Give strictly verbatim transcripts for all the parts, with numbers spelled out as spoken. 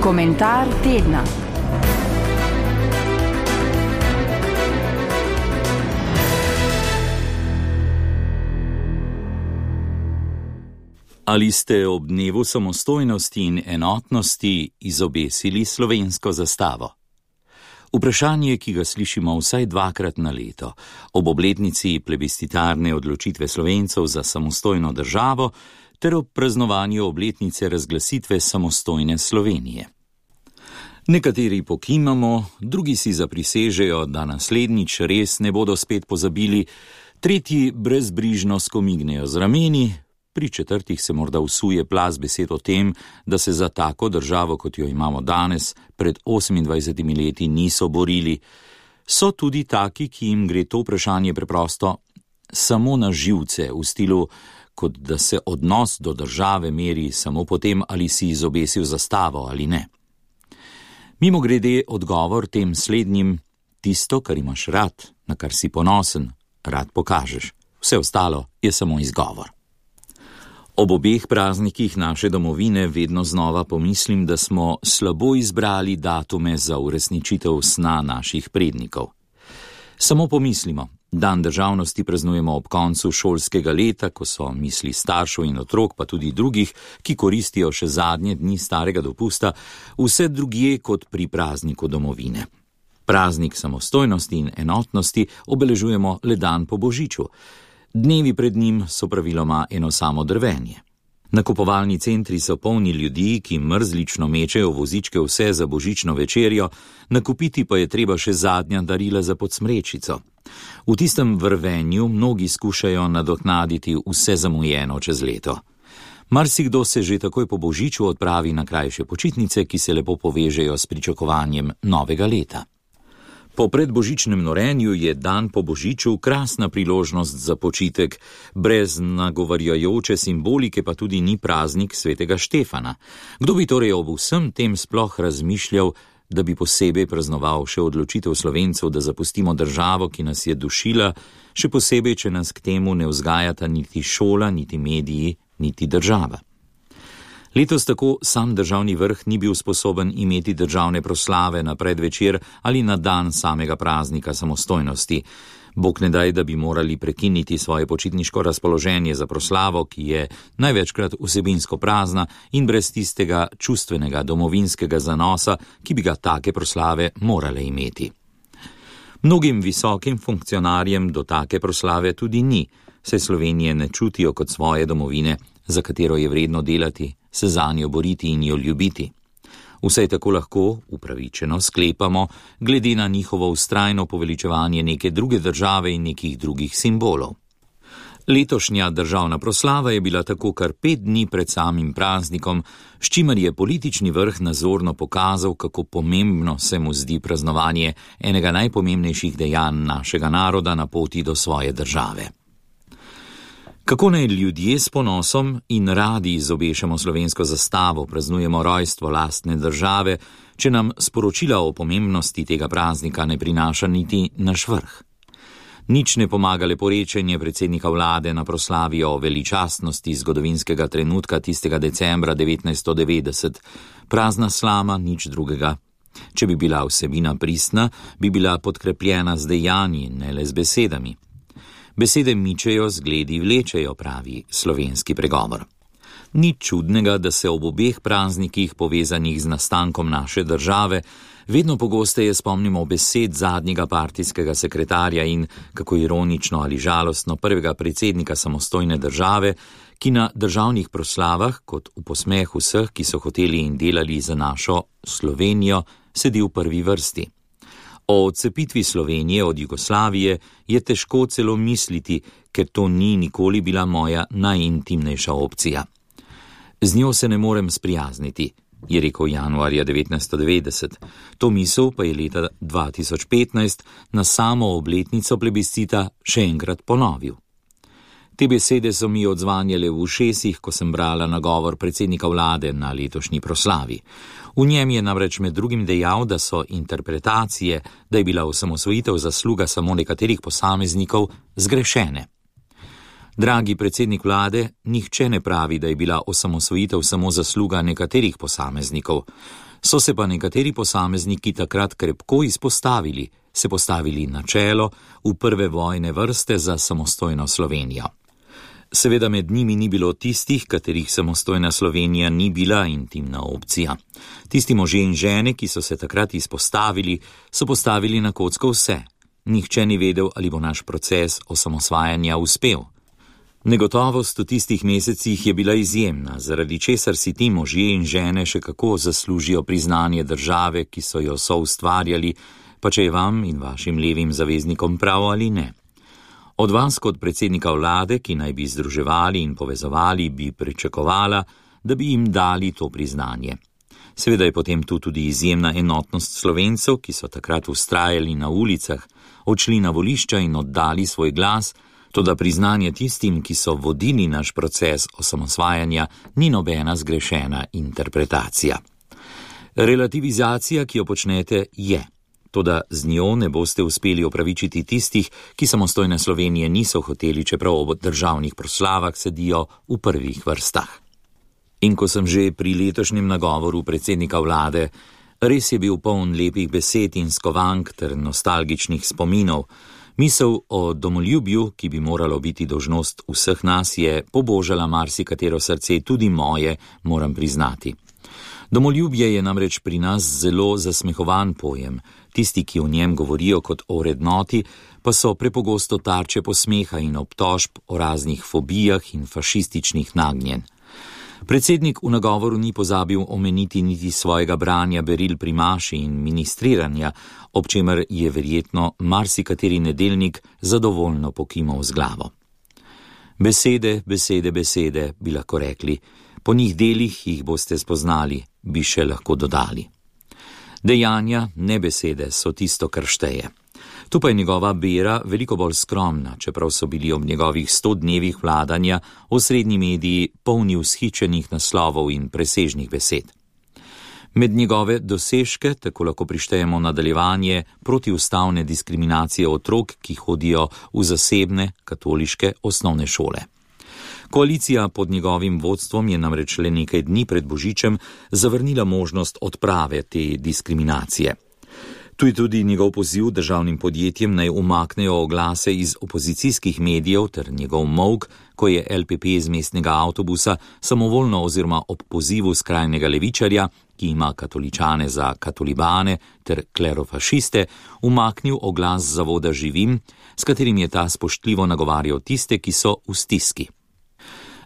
Komentar tedna. Ali ste ob dnevu samostojnosti in enotnosti izobesili slovensko zastavo? Vprašanje, ki ga slišimo vsaj dvakrat na leto, ob obletnici plebiscitarne odločitve Slovencev za samostojno državo ter ob praznovanju obletnice razglasitve samostojne Slovenije. Nekateri pokimamo, drugi si zaprisežejo, da naslednjič res ne bodo spet pozabili, tretji brezbrižno skomignejo z rameni, pri četrtih se morda vsuje plaz besed o tem, da se za tako državo, kot jo imamo danes, pred osemindvajsetimi leti niso borili. So tudi taki, ki jim gre to vprašanje preprosto samo na živce, v stilu, kot da se odnos do države meri samo po tem, ali si izobesil zastavo ali ne. Mimogrede odgovor tem slednjim: tisto, kar imaš rad, na kar si ponosen, rad pokažeš. Vse ostalo je samo izgovor. Ob obeh praznikih naše domovine vedno znova pomislim, da smo slabo izbrali datume za uresničitev sna naših prednikov. Samo pomislimo, dan državnosti praznujemo ob koncu šolskega leta, ko so misli staršev in otrok, pa tudi drugih, ki koristijo še zadnje dni starega dopusta, vse drugje kot pri prazniku domovine. Praznik samostojnosti in enotnosti obeležujemo le dan po božiču. Dnevi pred njim so praviloma eno samo drvenje. Nakupovalni centri so polni ljudi, ki mrzlično mečejo vozičke vse za božično večerjo, nakupiti pa je treba še zadnja darila za podsmrečico. V tistem vrvenju mnogi skušajo nadoknaditi vse zamujeno čez leto. Marsikdo se že takoj po božiču odpravi na krajše počitnice, ki se lepo povežejo s pričakovanjem novega leta. Po predbožičnem norenju je dan po božiču krasna priložnost za počitek, brez nagovarjajoče simbolike pa tudi ni praznik svetega Štefana. Kdo bi torej ob vsem tem sploh razmišljal, da bi posebej praznoval še odločitev Slovencev, da zapustimo državo, ki nas je dušila, še posebej, če nas k temu ne vzgajata niti šola, niti mediji, niti država. Letos tako sam državni vrh ni bil sposoben imeti državne proslave na predvečer ali na dan samega praznika samostojnosti. Bog ne daj, da bi morali prekiniti svoje počitniško razpoloženje za proslavo, ki je največkrat vsebinsko prazna in brez tistega čustvenega domovinskega zanosa, ki bi ga take proslave morale imeti. Mnogim visokim funkcionarjem do take proslave tudi ni, saj Slovenije ne čutijo kot svoje domovine, za katero je vredno delati, se zanjo boriti in jo ljubiti. Vsaj tako lahko, upravičeno, sklepamo, glede na njihovo vztrajno poveličevanje neke druge države in nekih drugih simbolov. Letošnja državna proslava je bila tako kar pet dni pred samim praznikom, s čimer je politični vrh nazorno pokazal, kako pomembno se mu zdi praznovanje enega najpomembnejših dejanj našega naroda na poti do svoje države. Kako naj ljudje s ponosom in radi izobešamo slovensko zastavo, praznujemo rojstvo lastne države, če nam sporočila o pomembnosti tega praznika ne prinaša niti naš vrh? Nič ne pomaga leporečenje predsednika vlade na proslavi o veličastnosti zgodovinskega trenutka tistega decembra devetnajststo devetdeset. Prazna slama, nič drugega. Če bi bila vsebina pristna, bi bila podkrepljena z dejanji, ne le z besedami. Besede mičejo, zgledi vlečejo, pravi slovenski pregovor. Ni čudnega, da se ob obeh praznikih povezanih z nastankom naše države vedno pogosteje spomnimo besed zadnjega partijskega sekretarja in, kako ironično ali žalostno, prvega predsednika samostojne države, ki na državnih proslavah, kot v posmeh vseh, ki so hoteli in delali za našo Slovenijo, sedi v prvi vrsti. O odcepitvi Slovenije od Jugoslavije je težko celo misliti, ker to ni nikoli bila moja najintimnejša opcija. Z njo se ne morem sprijazniti, je rekel januarja devetnajststo devetdeset. To misel pa je leta dva tisoč petnajst na samo obletnico plebiscita še enkrat ponovil. Te besede so mi odzvanjale v ušesih, ko sem brala nagovor predsednika vlade na letošnji proslavi. V njem je namreč med drugim dejal, da so interpretacije, da je bila osamosvojitev zasluga samo nekaterih posameznikov, zgrešene. Dragi predsednik vlade, nihče ne pravi, da je bila osamosvojitev samo zasluga nekaterih posameznikov. So se pa nekateri posamezniki takrat krepko izpostavili, se postavili na čelo v prve vojne vrste za samostojno Slovenijo. Seveda med njimi ni bilo tistih, katerih samostojna Slovenija ni bila intimna opcija. Tisti možje in žene, ki so se takrat izpostavili, so postavili na kocko vse. Nihče ni vedel, ali bo naš proces osamosvajanja uspel. Negotovost v tistih mesecih je bila izjemna, zaradi česar si ti možje in žene še kako zaslužijo priznanje države, ki so jo soustvarjali, pa če je vam in vašim levim zaveznikom prav ali ne. Od vas kot predsednika vlade, ki naj bi združevali in povezovali, bi pričakovala, da bi jim dali to priznanje. Seveda je potem tu tudi izjemna enotnost Slovencev, ki so takrat vztrajali na ulicah, odšli na volišča in oddali svoj glas, toda priznanje tistim, ki so vodili naš proces osamosvajanja, ni nobena zgrešena interpretacija. Relativizacija, ki jo počnete, je. Toda z njo ne boste uspeli opravičiti tistih, ki samostojne Slovenije niso hoteli, čeprav ob državnih proslavah sedijo v prvih vrstah. In ko sem že pri letošnjem nagovoru predsednika vlade, res je bil poln lepih besed in skovank ter nostalgičnih spominov. Misel o domoljubju, ki bi moralo biti dolžnost vseh nas, je pobožala marsikatero srce, tudi moje, moram priznati. Domoljubje je namreč pri nas zelo zasmehovan pojem. Tisti, ki o njem govorijo kot o vrednoti, pa so prepogosto tarče posmeha in obtožb o raznih fobijah in fašističnih nagnjenj. Predsednik v nagovoru ni pozabil omeniti niti svojega branja beril pri maši in ministriranja, ob čemer je verjetno marsikateri nedeljnik zadovoljno pokimal z glavo. Besede, besede, besede, bi lahko rekli. Po njih delih jih boste spoznali, bi še lahko dodali. Dejanja, ne besede, so tisto, kar šteje. Tu pa je njegova bera veliko bolj skromna, čeprav so bili ob njegovih sto dnevih vladanja osrednji mediji polni vzhičenih naslovov in presežnih besed. Med njegove dosežke tako lahko prištejemo nadaljevanje protiustavne diskriminacije otrok, ki hodijo v zasebne katoliške osnovne šole. Koalicija pod njegovim vodstvom je namreč le nekaj dni pred Božičem zavrnila možnost odprave te diskriminacije. Tu je tudi njegov poziv državnim podjetjem naj umaknejo oglase iz opozicijskih medijev ter njegov molk, ko je L P P iz mestnega avtobusa samovoljno oziroma ob pozivu skrajnega levičarja, ki ima katoličane za katolibane ter klerofašiste, umaknil oglas zavoda Živim, s katerim je ta spoštljivo nagovarjal tiste, ki so v stiski.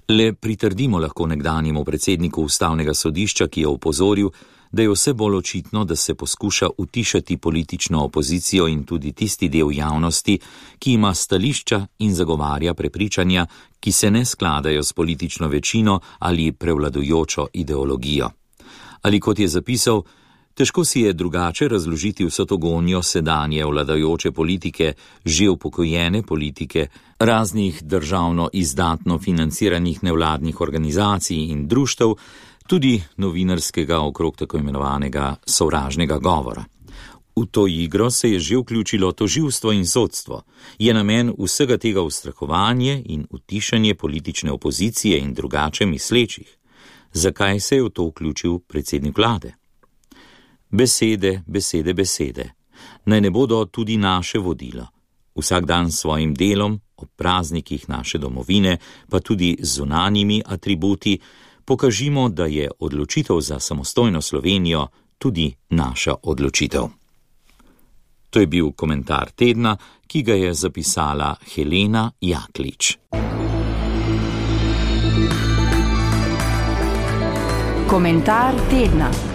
Le pritrdimo lahko nekdanjemu predsedniku ustavnega sodišča, ki je opozoril, da je vse bolj očitno, da se poskuša utišati politično opozicijo in tudi tisti del javnosti, ki ima stališča in zagovarja prepričanja, ki se ne skladajo s politično večino ali prevladujočo ideologijo. Ali kot je zapisal, težko si je drugače razložiti vso to gonjo sedanje vladajoče politike, že upokojene politike, raznih državno izdatno financiranih nevladnih organizacij in društev, tudi novinarskega okrog tako imenovanega sovražnega govora. V to igro se je že vključilo tožilstvo in sodstvo. Je namen vsega tega ustrahovanje in utišanje politične opozicije in drugače mislečih. Zakaj se je v to vključil predsednik vlade? Besede, besede, besede. Naj ne bodo tudi naše vodilo. Vsak dan s svojim delom, ob praznikih naše domovine, pa tudi z zunanjimi atributi, pokažimo, da je odločitev za samostojno Slovenijo tudi naša odločitev. To je bil komentar tedna, ki ga je zapisala Helena Jaklič. Komentar tedna.